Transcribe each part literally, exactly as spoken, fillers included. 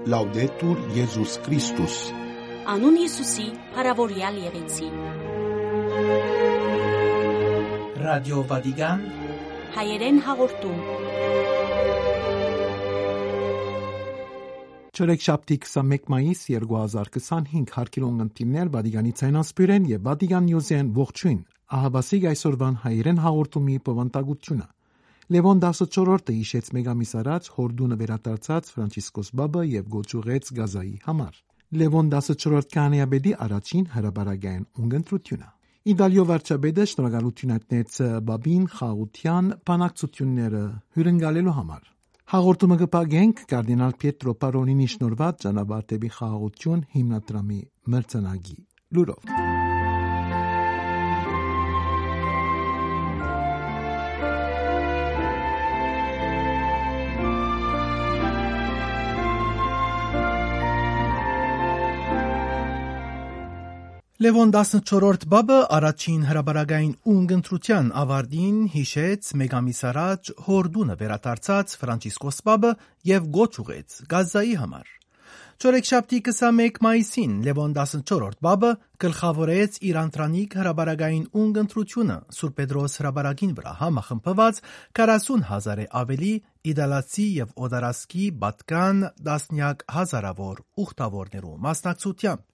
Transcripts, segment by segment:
Լաուդետուր Եզուս Քրիստոս։ Անուն Յիսուսի փառաւորեալ եղեցի։ Ռադիո Վատիկան, հայերեն հաղորդում։ Չորեքշաբթի քսանմէկ մայիս երկու հազար քսանհինգ, հարգելի ունգընտիրներ, Վատիկանի ցայնասփիւռէն եւ Վատիկան Նիուզէն ողջոյն։ Ահա բասիկ այսօրուան հայերեն հաղորդումի բովանդակութիւնը։ Լեւոն տասնչորրորդը յիշեց մէկ ամիս առաջ Յորդունը վերադարձած Ֆրանցիսկոս Պապը եւ կոչ ուղղեց Գազայի համար։ Լեւոն տասնչորրորդ քահանայապետի առաջին հրապարակային ունգընտրութիւնը։ Իտալիոյ վարչապետը շնորհակալութիւն հայտնեց Պապին խաղաղութեան բանակցութիւնները հիւրընկալելու համար։ Հաղորդումը կը փակենք կարդինալ Պիետրո Պարոլինի շնորհուած «Ճանապարհ դէպի խաղաղութիւն» հիմնադրամի մրցանակի լուրով։ Լեւոն տասնչորրորդ Պապը առաջին հրապարակային ունգընտրութեան աւարտին յիշեց մէկ ամիս առաջ Յորդունը վերադարձած Ֆրանցիսկոս Պապը եւ կոչ ուղղեց Գազայի համար։ Չորեքշաբթի քսանմէկ մայիսին Լեւոն տասնչորրորդ Պապը գլխաւորեց իր անդրանիկ հրապարակային ունգընտրութիւնը Սուրբ Պետրոս հրապարակին վրայ համախմբուած քառասուն հազարէ աւելի իտալացի եւ օտարազգի պատկան տասնեակ հազարաւոր ուխտաւորներու մասնակցութեամբ։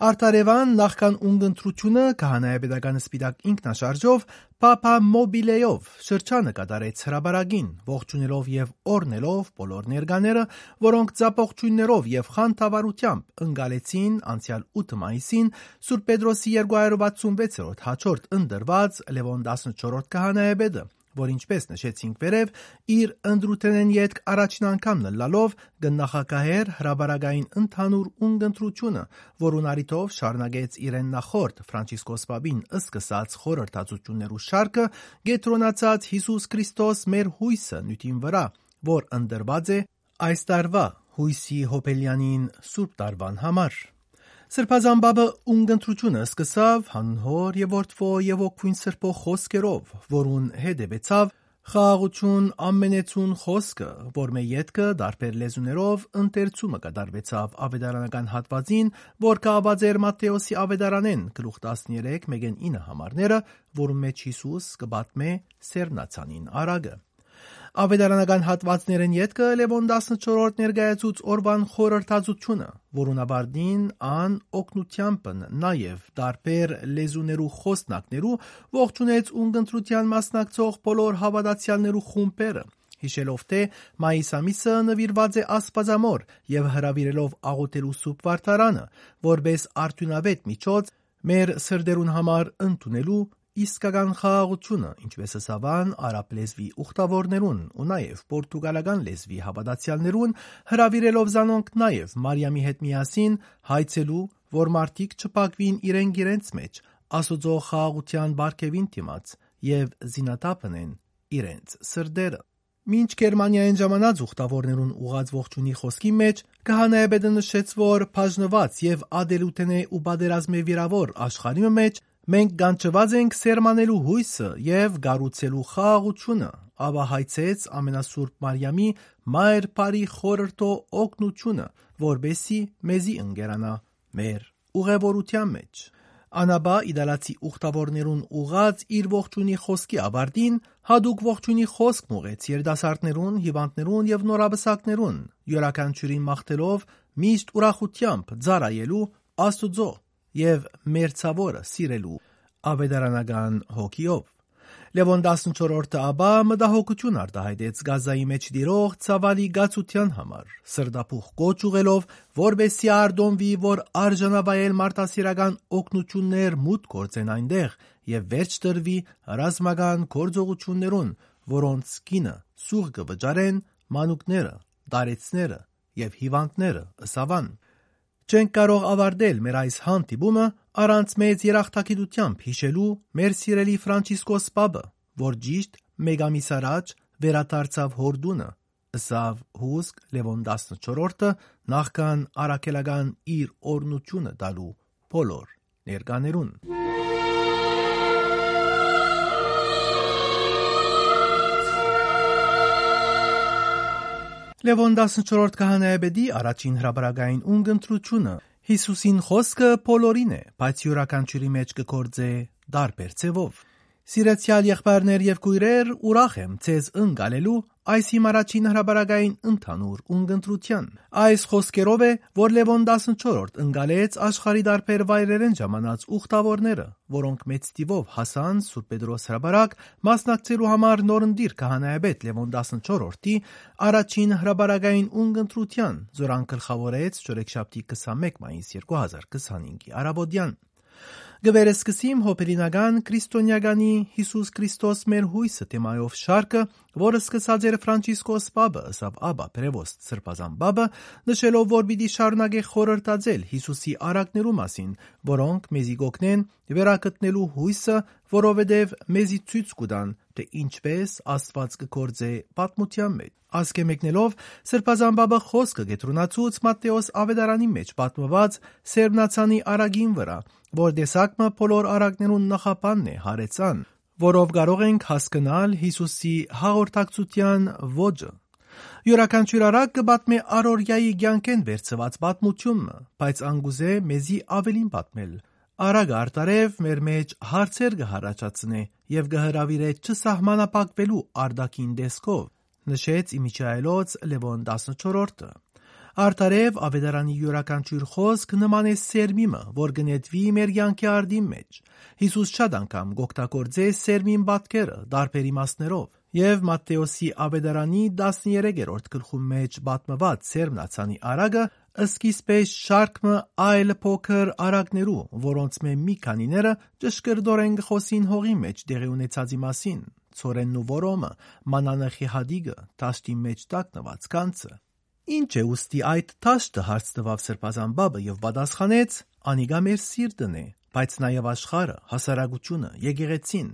Արդարեւան նախքան ունգընտրութիւնը քահանայապետական սպիտակ ինքնաշարժով Պապա Մոբիլեով շրջանը կատարեց հրապարակին, ողջունելով եւ օրհնելով բոլոր ներկաները, որոնք ծափողջոյններով եւ խանդավառութեամբ ընկալեցին անցեալ ութ մայիսին Սուրբ Պետրոսի երկու հարյուր վաթսուն վեցերորդ հաջորդ ընտրուած Լեւոն տասնչորրորդ քահանայապետը, որ, ինչպէս նշեցինք վերեւ, իր ընտրութենէն ետք առաջին անգամն ըլլալով կը նախագահէր հրապարակային ընդհանուր ունգընտրութիւնը, որուն առիթով շարունակեց իրեն նախորդ Ֆրանցիսկոս Պապին սկսած խորհրդածություններու շարքը, կեդրոնացած Յիսուս Քրիստոս մեր յոյսը նիւթին վրայ, որ ընտրուած է այս տարուայ յոյսի յոբելեանին Սուրբ Տարուան համար։ Սրբազան Պապը ունգընտրութիւնը սկսաւ Յանուն Հօր եւ Որդւոյ եւ Հոգւոյն Սրբոյ խօսքերով, որուն հետեւեցաւ խաղաղութիւն ամենեցուն խօսքը, որմէ ետքը տարբեր լեզուներով ընթերցումը կատարուեցաւ աւետարանական հատուածին, որ կախուած էր Մատթէոսի աւետարանէն գլուխ տասներեք մէկէն ինը համարները, որուն մէջ Յիսուս կը պատմէ սերմնացանին առակը։ Աւետարանական հատուածներէն ետքը Լեւոն տասնչորրորդ ներկայացուց օրուան խորհրդածութիւնը, որուն աւարտին ան օգնութեամբն նաեւ տարբեր լեզուներու խօսնակներու ողջունեց ունգընտրութեան մասնակցող բոլոր հաւատացեալներու խումբերը, յիշելով թէ մայիս ամիսը նուիրուած է Աստուածամօր եւ հրաւիրելով աղօթելու Սուրբ Վարդարանը, որպէս արդիւնաւէտ միջոց մեր սրտերուն համար ընդունելու իսկական խաղաղութիւնը, ինչպէս ըսաւան արաբ լեզուի ուխտաւորներուն ու նաեւ պորտուգալական լեզուի հաւատացեալներուն, հրաւիրելով զանոնք նաեւ Մարիամի հետ միասին հայցելու, որ մարդիկ չփակուին իրենք իրենց մէջ, Աստուծոյ խաղաղութեան պարգեւին դիմաց եւ զինաթափ ընեն իրենց սրտերը։ Մինչ Գերմանիայէն ժամանած ուխտաւորներուն ուղղած ողջունի խօսքի մէջ, քահանայապետը նշեց, որ բաժնուած եւ ատելութենէ ու պատերազմէ վիրաւոր աշխարհի մը մէջ մենք կանչուած ենք սերմանելու յոյսը եւ կառուցելու խաղաղութիւնը, ապա հայցեց ամենասուրբ Մարիամի Մայր Բարի խորհրդոյ օգնութիւնը, որպէսզի մեզի ընկերանայ մեր ուղեւորութեան մէջ։ Ան ապա իտալացի ուխտաւորներուն ուղղած իր ողջունի խօսքի աւարտին յատուկ ողջունի խօսք մղեց երիտասարդներուն, հիւանդներուն եւ նորապսակներուն, իւրաքանչիւրին մաղթելով միշտ ուրախութեամբ ծառայելու Աստուծոյ եւ մերձաւորը սիրելու աւետարանական հոգիով։ Լեւոն տասնչորրորդը ապա մտահոգութիւն արտայայտեց Գազայի մէջ տիրող ցաւալի կացութեան համար, սրտաբուխ կոչ ուղղելով, որպէսզի արտոնուի, որ արժանավայել մարդասիրական օգնութիւններ մուտք գործեն այնտեղ եւ վերջ տրուի ռազմական գործողութիւններուն, որոնց գինը սուղ կը վճարեն մանուկները, տարեցները եւ հիւանդները, ըսաւան։ Չենք կարող աւարտել մեր այս հանդիպումը առանց մեծ երախտագիտութեամբ յիշելու մեր սիրելի Ֆրանցիսկոս Պապը, որ ճիշդ մէկ ամիս առաջ վերադարձաւ Յորդունը, ըսաւ հուսկ Լեւոն տասնչորրորդը, նախքան առաքելական իր օրհնութիւնը տալու բոլոր ներկաներուն։ Լեւոն տասնչորրորդ քահանայապետի առաջին հրապարակային ունկնդրութիւնը Յիսուսին խօսքը բոլորին է, բայց իւրաքանչիւրի մէջ կը գործէ տարբեր ձեւով։ Սիրեցեալ եղբայրներ եւ քոյրեր, ուրախ եմ ձեզ ընկալելու այս իմ առաջին հրապարակային ընդհանուր ունկնդրութեան։ Այս խօսքերով է, որ Լեւոն տասնչորրորդ ընկալեց աշխարհի տարբեր վայրերէն ժամանած ուխտաւորները, որոնք մեծ թիւով հասան Սուրբ Պետրոս հրապարակ, մասնակցելու համար նորընտիր քահանայապետ Լեւոն տասնչորրորդի առաջին հրապարակային ունկնդրութեան, զոր ան գլխաւորեց չորեքշաբթի քսանմէկ մայիս երկու հազար քսանհինգի առաւօտեան։ Կը վերսկսիմ հոբելինական քրիստոնեականի «Յիսուս Քրիստոս մեր յոյսը» թեմայով շարքը, որը սկսած էր Ֆրանցիսկոս Պապը, ըսաւ Աբա Պրեվոստ Սրբազան Պապը, նշելով, որ պիտի շարունակէ խորհրդածել Յիսուսի առակներու մասին, որոնք մեզի կօգնեն վերագտնելու յոյսը, որովհետեւ մեզի ցոյց կու տան, թէ ինչպէս Աստուած կը գործէ պատմութեան մէջ։ Ասկէ մեկնելով, Սրբազան Պապը խօսքը կեդրոնացուց Մատթէոս Աւետարանի մէջ պատմուած Սերմնացանի առակին վրայ, որ տեսակ մը բոլոր առակներուն նախապանն է, յարեց ան, որով կարող ենք հասկնալ Յիսուսի հաղորդակցութեան ոճը։ Իւրաքանչիւր առակ կը պատմէ առօրեայի կեանքէն վերցուած պատմութիւն մը, բայց ան կ'ուզէ մեզի աւելին պատմել։ Առակը արդարեւ մեր մէջ հարցեր կը յառաջացնէ եւ կը հրաւիրէ չսահմանափակուելու արտաքին տեսքով, նշեց իմիջայելոց Լեւոն տասնչորրորդը։ Արդարեւ Աւետարանի իւրաքանչիւր խօսք նման է սերմի մը, որ կը նետուի մեր կեանքի արդին մէջ։ Յիսուս շատ անգամ կ'օգտագործէ սերմին պատկերը տարբեր իմաստներով, եւ Մատթէոսի Աւետարանի տասներկերորդ գլխուն մէջ պատմուած Սերմնացանի առակը սկիզբէ շարք մը այլ փոքր առակներու, որոնցմէ մի քանիները ճշգրտօրէն կը խօսին հողի մէջ տեղի ունեցածի մասին, ցորենն ու որոմը, մանանեխի հատիկը, դաշտին մէջ տակնուած գանձը։ «Ի՞նչ է ուստի այդ դաշտը», հարց տուաւ Սրբազան Պապը եւ պատասխանեց. «Անիկա մեր սիրտն է, բայց նաեւ աշխարհը, հասարակությունը, եկեղեցին։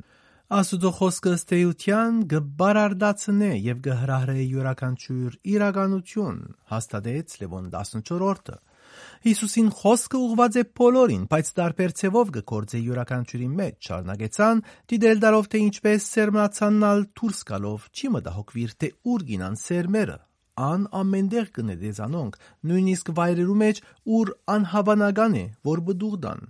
Աստուծոյ խօսքը ըստ էութեան կը բարարդացնէ եւ կը հրահրէ իւրաքանչիւր իրականութիւն», հաստատեց Լեւոն տասնչորրորդը։ Յիսուսին խօսքը ուղղուած է բոլորին, բայց տարբեր ձեւով կը գործէ իւրաքանչիւրի մէջ, շարունակեց ան, դիտել տալով, թէ ինչպէս Սերմնացանն ալ դուրս գալով չի մտահոգուիր, թէ ուր կ'իյնան սերմերը։ Ան ամէնտեղ կը նետէ զանոնք, նոյնիսկ վայրերու մէջ, ուր անհաւանական է, որ պտուղ տան,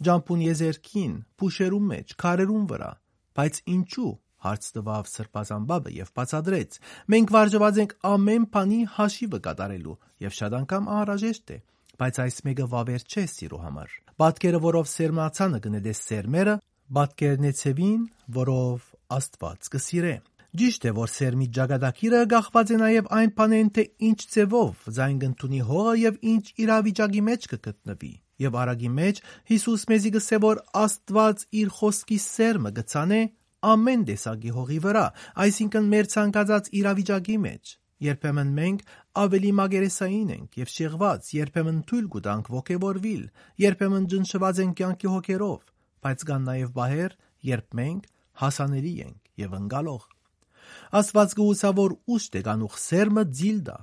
ճամբուն եզերքին, փուշերուն մէջ, քարերուն վրայ։ «Բայց ինչո՞ւ», հարց տուաւ Սրբազան Պապը եւ բացատրեց. «Մենք վարժուած ենք ամէն բանի հաշիւը կատարելու, եւ շատ անգամ անհրաժեշտ է, բայց այս մէկը վաւեր չէ սիրոյ համար։ Պատկերը, որով Սերմնացանը կը նետէ սերմերը, պատկերն է ձեւին, որով Աստուած կը սիրէ։ Ճիշդ է, որ սերմի ճակատագիրը կախուած է նաեւ այն բանէն, թէ ինչ ձեւով զայն կ'ընդունի հողը եւ ինչ իրավիճակի մէջ կը գտնուի։ Եւ առակի մէջ Յիսուս մեզի կ'ըսէ, որ Աստուած իր խօսքի սերմը կը ցանէ ամէն տեսակի հողի վրայ, այսինքն՝ մեր ցանկացած իրավիճակի մէջ։ Երբեմն մենք աւելի մակերեսային ենք եւ շեղուած, երբեմն թոյլ կու տանք ոգեւորուիլ, երբեմն ճնշուած ենք կեանքի հոգերով, բայց կան նաեւ պահեր, երբ մենք հասանելի ենք եւ ընկալող։ Աստուած կը ուսայ, որ ուշ դեկանուխ սերմը ձիլ տայ։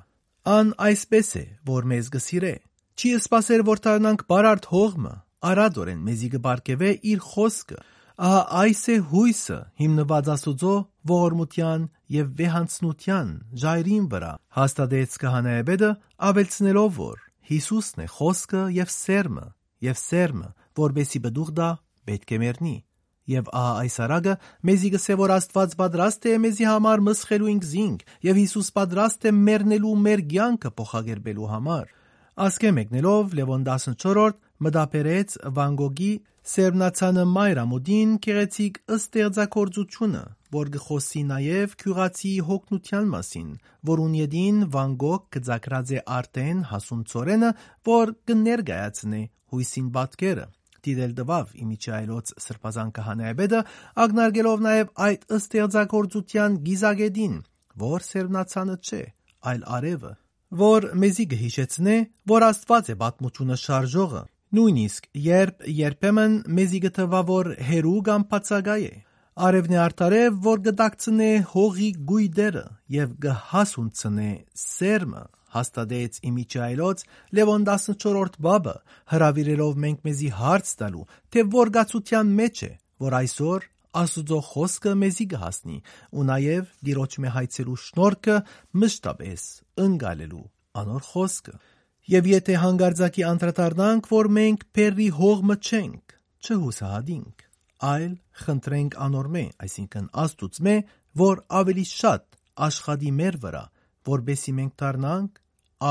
Ան այսպէս է, որ մեզ կը սիրէ։ Չի սպասեր, որ դառնանք բարարդ հող մը, արատօրէն մեզի կը պարգեւէ իր խօսքը։ Ահա այս է յոյսը, հիմնուած Աստուծոյ ողորմութեան եւ վեհանձնութեան ժայռին վրայ», հաստատեց քահանայապետը, աւելցնելով, որ Յիսուսն է խօսքը եւ սերմը, եւ սերմը, որպէսզի պտուղ տայ, պէտք է մեռնի։ Եւ ահա այս առակը մեզի կ'ըսէ, որ Աստուած պատրաստ է մեզի համար մսխելու ինքզինք, եւ Յիսուս պատրաստ է մեռնելու մեր կեանքը փոխակերպելու համար։ Ասկէ մեկնելով, Լեւոն տասնչորրորդ մտաբերեց Վան Գոգի Սերմնացանը մայր ամուտին գեղեցիկ ստեղծագործութիւնը, որ կը խօսի նաեւ գիւղացիի յոգնութեան մասին, որուն ետին Վան Գոգ կը ծակրած է արդէն հասուն ցորենը, որ կը ներկայացնէ յոյսին պատկերը, դիտել տուաւ իմիջայլոց սրբազան քահանայապետը, ակնարկելով նաեւ այդ ստեղծագործութեան կիզակետին, որ Սերմնացանը չէ, այլ արեւը, որ մեզի կը յիշեցնէ, որ Աստուած է պատմութիւնը շարժողը, նոյնիսկ երբ երբեմն մեզի կը թուայ, որ հեռու կամ բացակայ է։ Արեւն է արդարեւ, որ կը տակցնէ հողի գոյտերը եւ կը հասունցնէ սերմը, հաստատեց իմիջայլոց Լեւոն տասնչորրորդ Պապը, հրաւիրելով մենք մեզի հարց տալու, թէ որ կացութեան մէջ է, որ այսօր Աստուծոյ խօսքը մեզի կը հասնի ու նաեւ Տիրոջմէ հայցերու շնորհքը մշտապէս ընկալելու անոր խօսքը։ Եւ եթէ յանկարծակի անդրադառնանք, որ մենք բերրի հողմը չենք, չյուսահատինք, այլ խնդրենք անորմէ, այսինքն Աստուծմէ, որ աւելի շատ աշխատի մեր վրայ, որպէսզի մենք դառնանք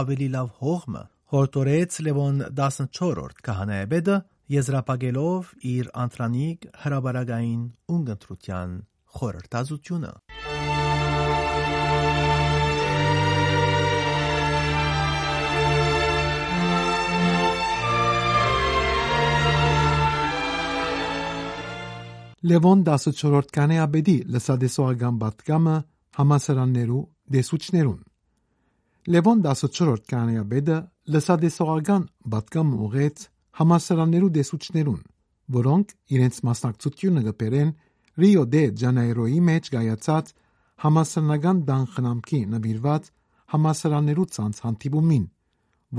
աւելի լաւ հողմը, յորդորեց Լեւոն տասնչորրորդ քահանայապետը, եզրափակելով իր անդրանիկ հրապարակային ունգընտրութեան խորհրդածութիւնը։ Լեւոն տասնչորրորդ քահանայապետի լսատեսողական պատգամը համալսարաններու դեսուչներուն։ Լեւոն տասնչորրորդ քահանայապետը լսատեսողական պատգամը ուղղեց համալսարաններու դեսուչներուն, որոնք իրենց մասնակցութիւնը կը բերեն Ռիո դե Ջանեյրոյի մէջ կայացած համալսարանական տան խնամքի նուիրուած համալսարաններու ցանց հանդիպումին,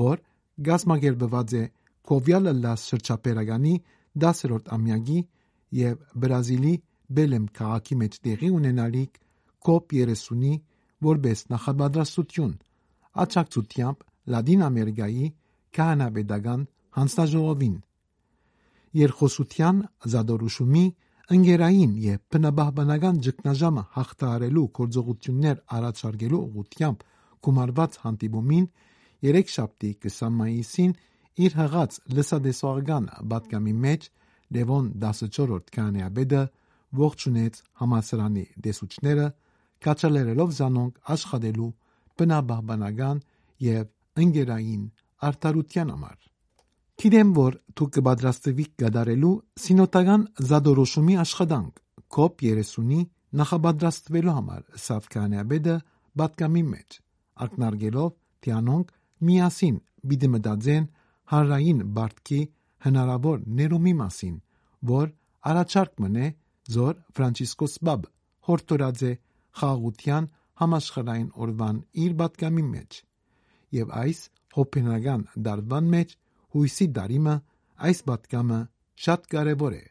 որ կազմակերպուած է Քովեալ Ըլլաս շրջաբերականի դասերորդ ամեակի եւ Բրազիլի Բելեմ քաղաքի մէջ տեղի ունենալիք կոպ երեսունի որպէս նախապատրաստութիւն, աջակցութեամբ Լատին Ամերիկայի քահանայապետական յանձնաժողովին։ Երկխօսութեան զատորոշումի ընկերային եւ բնապահպանական ճգնաժամը յաղթահարելու գործողութիւններ առաջարկելու ուղղութեամբ գումարուած հանդիպումին երեքշաբթի քսան մայիսին իր յղած լսատեսողական պատգամի մէջ Լեւոն տասնչորրորդ քահանայապետը ողջունեց համալսարանի դեսուչները, քաջալերելով զանոնք աշխատելու բնապահպանական եւ ընկերային արդարութեան համար։ Գիտեմ, որ դուք կը պատրաստուիք կատարելու սինոդական զատորոշումի աշխատանք կոպ երեսունի նախապատրաստուելու համար, ըսաւ քահանայապետը պատգամի մէջ, ակնարկելով, թէ անոնք միասին պիտի մտածեն հանրային պարտքի հնարաւոր ներումի մասին, որ առաջարկ մըն է, զոր Ֆրանցիսկոս Պապը յորդորած է խաղաղութեան համաշխարհային օրուան իր պատգամի մէջ։ Եւ այս հոբենական դարուան մէջ յոյսի տարի մը այս պատգամը շատ կարեւոր է,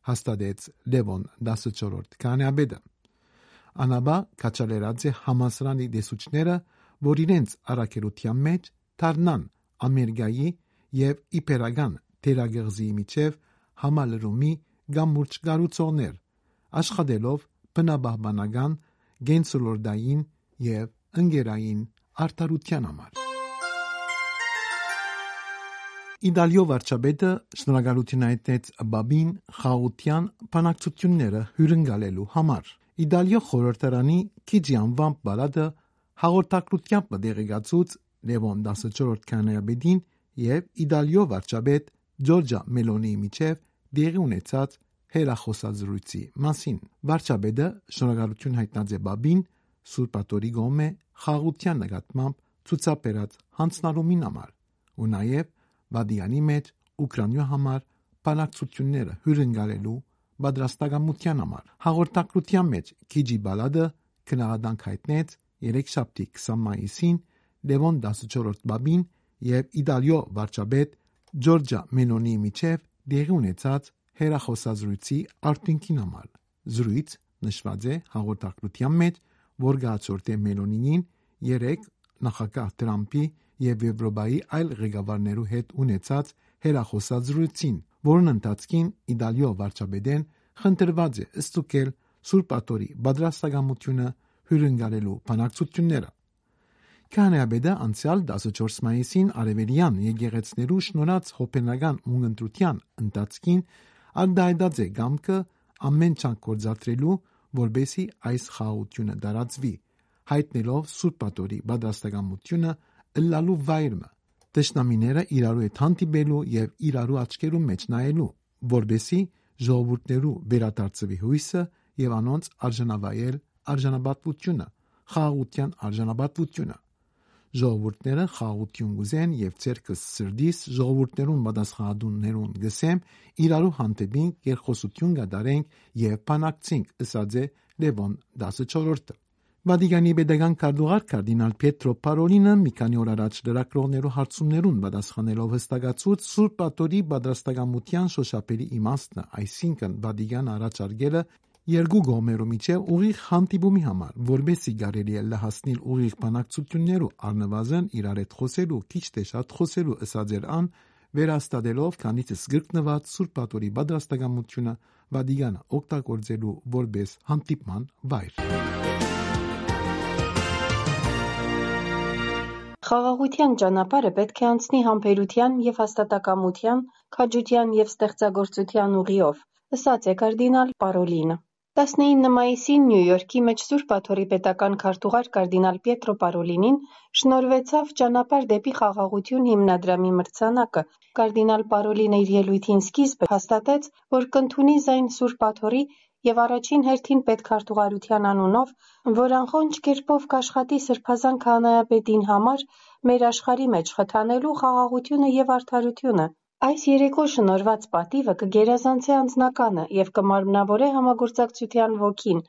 հաստատեց Լեւոն տասնչորրորդ քահանայապետը։ Անապա քաջալերած է համալսարանի դեսուչները, որ իրենց առաքելութեան մէջ դառնան Ամերիկայի եւ Իբերական թերակղզիի միջեւ համալրումի կամուրջ կառուցողներ, աշխատելով բնապահպանական, կենսոլորտային եւ ընկերային արդարութեան համար։ Իտալիոյ վարչապետը շնորհակալութիւն հայտնեց Պապին խաղաղութեան բանակցութիւնները հիւրընկալելու համար։ Իտալիոյ խորհրդարանի Քիջի անուան պալատը հաղորդակցութեամբ մը տեղեկացուց Լեւոն տասնչորրորդ քահանայապետին եւ Իտալիոյ վարչապետ Ջորջա Մելոնիի միջեւ տեղի ունեցած հեռախօսազրույցի մասին։ Վարչապետը շնորհակալութիւն հայտնած է Պապին Սուրբ Աթորի կողմէ խաղաղութեան նկատմամբ ցուցաբերած յանձնառումին համար ու նաեւ Վատիկանի մէջ Ուկրաինոյ համար բանակցութիւնները հիւրընկալելու պատրաստակամութեան համար։ Հաղորդակցութեան մէջ Քիջի պալատը գնահատանք հայտնեց երեքշաբթի քսան մայիսին Լեւոն տասնչորրորդ Պապին եւ Իտալիոյ վարչապետ Ջորջա Մելոնիի միջեւ տեղի ունեցած հեռախօսազրույցի արդիւնքին համար։ Զրույց նշուած է հաղորդակցութեան մէջ, որ կը հաջորդէ Մելոնիին երեկ նախագահ Թրամփի եւ Եվրոպայի այլ ղեկավարներու հետ ունեցած հեռախօսազրույցին, որուն ընթացքին Իտալիոյ վարչապետէն խնդրուած է ստուգել Սուրբ Աթորի պատրաստակամութիւնը հիւրընկալելու բանակցութիւնները։ Քահանայապետը անցեալ տասնչորս մայիսին արեւելեան եկեղեցներու շնորհած հոբենական ունգընտրութեան ընթացքին արտահայտած է կամքը ամէն ջանք գործադրելու, որպէսզի այս խաղաղութիւնը տարածուի, հայտնելով Սուրբ Աթորի պատրաստակամութիւնը ըլլալու վայր մը, թշնամիները իրարու հետ հանդիպելու եւ իրարու աչքերուն մէջ նայելու, որպէսզի ժողովուրդներու վերադարձուի յոյսը եւ անոնց արժանավայել արժանապատվութիւնը, խաղաղութեան արժանապատվութիւնը։ Ժողովուրդները խաղաղութիւն կ'ուզեն եւ ձեռքս սրտիս ժողովուրդներուն պատասխանատուներուն կ'ըսեմ, իրարու հանդէպինք, երկխօսութիւն կատարենք եւ բանակցինք, ըսած է Լեւոն տասնչորրորդը։ Վատիկանի պետական քարտուղար կարդինալ Փետրո Փարոլինը մի քանի օր առաջ լրագրողներու հարցումներուն պատասխանելով յստակացուց Սուրբ Աթորի պատրաստակամութեան շոշափելի իմաստը, այսինքն Վատիկանը առաջարկելը երկու կողմերու միջեւ ուղիղ հանդիպումի համար, որպեսզի կարելի ըլլայ հասնիլ ուղիղ բանակցութիւններու, առնուազն իրար հետ խօսելու, քիչ թէ շատ խօսելու, ըսած էր ան, վերահաստատելով քանիցս կրկնուած Սուրբ Աթորի պատրաստակամութիւնը Վատիկանը օգտագործելու որպէս հանդիպման վայր։ Խաղաղութեան ճանապարհը պէտք է անցնի համբերութեան եւ հաստատակամութեան, քաջութեան եւ ստեղծագործութեան ուղիով, ըսած է կարդինալ Պարոլինը։ Տասնինը մայիսին Նիու Յորքի մէջ Սուրբ Աթորի պետական քարտուղար կարդինալ Պիետրո Պարոլինին շնորհուեցաւ «Ճանապարհ դէպի խաղաղութիւն» հիմնադրամի մրցանակը։ Կարդինալ Պարոլինը իր ելոյթին սկիզբը հաստատեց, որ կ'ընդունի զայն Սուրբ Աթորի եւ առաջին հերթին պետքարտուղարութեան անունով, որ անխոնջ կերպով կ'աշխատի Սրբազան քահանայապետին համար մեր աշխարհի մէջ խթանելու խաղաղութիւնը եւ արդարութիւնը։ Այս երեկոյ շնորհուած պատիւը կը գերազանցէ անձնականը եւ կը մարմնաւորէ համագործակցութեան ոգին,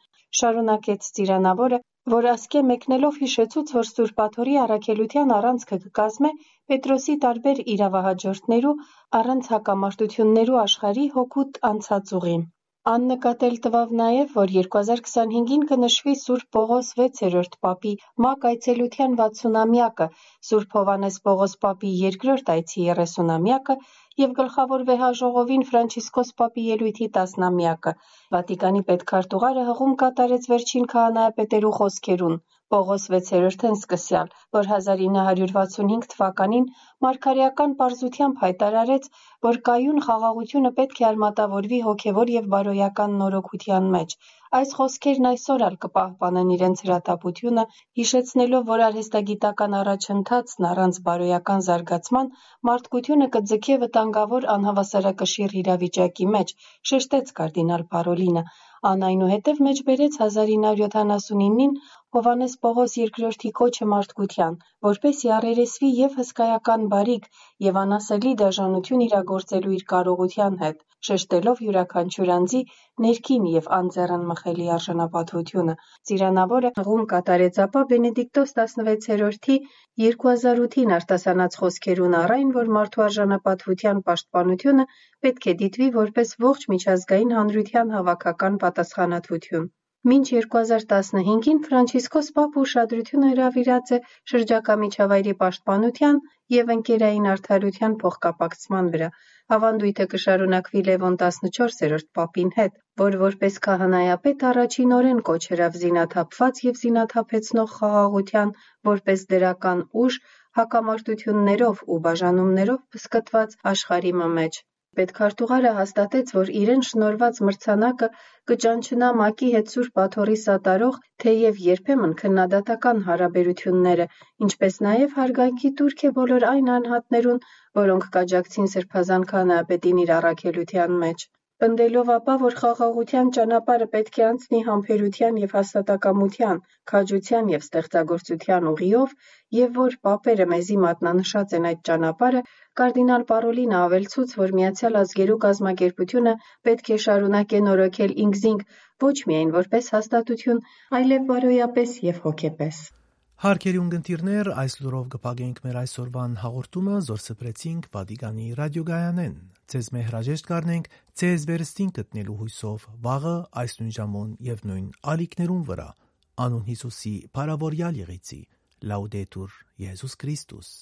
շարունակեց ծիրանաւորը, որ ասկէ մեկնելով յիշեցուց, որ Սուրբ Աթորի առաքելութեան առանցքը կը կազմէ Պետրոսի տարբեր իրավահաջորդներու առանց հակամարտութիւններու աշխարհի հօգուտ անցած ուղին։ Ան նկատել տուաւ նաեւ, որ երկու հազար քսանհինգին կը նշուի Սուրբ Պողոս վեցերորդ պապի մակ այցելութեան վաթսունամեակը, Սուրբ Յովհաննէս Պողոս պապի երկրորդ այցի երեսունամեակը եւ գլխաւոր վեհաժողովին Ֆրանցիսկոս պապի ելոյթի տասնամեակը։ Վատիկանի պետքարտուղարը հղում կատարեց վերջին քահանայապետերու խօսքերուն, Պողոս վեցերորդէն սկսեալ, որ հազար ինը հարիւր վաթսուն հինգ թուականին մարգարէական պարզութեամբ յայտարարեց, որ կայուն խաղաղութիւնը պէտք է արմատավորուի հոգեւոր եւ բարոյական նորոգութեան մէջ։ Այս խօսքերն այսօր ալ կը պահպանեն իրենց հրատապութիւնը, յիշեցնելով, որ արհեստագիտական առաջընթացն առանց բարոյական զարգացման մարդկութիւնը կը ձգէ վտանգաւոր անհաւասարակշիռ իրավիճակի մէջ, շեշտեց կարդինալ Պարոլինը։ Ան այնուհետեւ մէջբերեց հազար ինը հարիւր յոթանասունինին Յովհաննէս Պողոս երկրորդի կոչը մարդկութեան, որպէս զի առերեսուի եւ հսկայական բարիք եւ անասելի դաժանութիւն իրագործելու իր կարողութեան հետ, շեշտելով իւրաքանչիւր անձի ներքին եւ անձեռնմխելի արժանապատուութիւնը։ Ծիրանաւորը հղում կատարեց, ապա Բենեդիկտոս տասնվեցերորդի երկու հազար ութին արտասանած խօսքերուն առ այն, որ մարդու արժանապատուութեան պաշտպանութիւնը պէտք է դիտուի որպէս ողջ միջազգային հանրութեան հաւաքական պատասխանատվութիւն։ Մինչ երկու հազար տասնհինգին Ֆրանցիսկոս Պապը ուշադրութիւնը հրաւիրած է շրջակայ միջավայրի պաշտպանութեան եւ ընկերային արդարութեան փոխկապակցման վրայ։ Աւանդոյթը կը շարունակուի Լեւոն տասնչորսերորդ պապին հետ, որ որպէս քահանայապետ առաջինօրէն կոչ ըրաւ զինաթափուած եւ զինաթափեցնող խաղաղութեան, որպէս դրական ուժ, հակամարտութիւններով ու բաժանումներով բսկտուած աշխարհի մը մէջ։ Պետքարտուղարը հաստատեց, որ իրեն շնորհուած մրցանակը կը ճանչնայ մակի հետ Սուրբ Աթոռի սատարող, թէեւ երբեմն քննադատական հարաբերութիւնները, ինչպէս նաեւ հարգանքի տուրք է բոլոր այն անհատներուն, որոնք կ'աջակցին Սրբազան քահանայապետին իր առաքելութեան մէջ։ Պնդելով ապա, որ խաղաղութեան ճանապարհը պէտք է անցնի համբերութեան եւ հաստատակամութեան, քաջութեան եւ ստեղծագործութեան ուղիով, եւ որ պապերը մեզի մատնանշած են այդ ճանապարհը, կարդինալ Պարոլինը աւելցուց, որ Միացեալ Ազգերու կազմակերպութիւնը պէտք է շարունակէ նորոգել ինքզինք ոչ միայն որպէս հաստատութիւն, այլեւ բարոյապէս եւ հոգեպէս։ Հարգելի ունգընտիրներ, այս լուրով կը փակենք մեր այսօրվան հաղորդումը, զոր սփռեցինք Վատիկանի ռադիոգայանէն։ Ձեզ մե հրաժեշտ կ'առնենք ձեզ վերստին գտնելու հոյսով վաղը այս նոյն ժամուն եւ նոյն ալիքներուն վրայ, անուն Յիսուսի փառաւորեալ եղիցի։ Լաուդետուր Յիսուս Քրիստոս։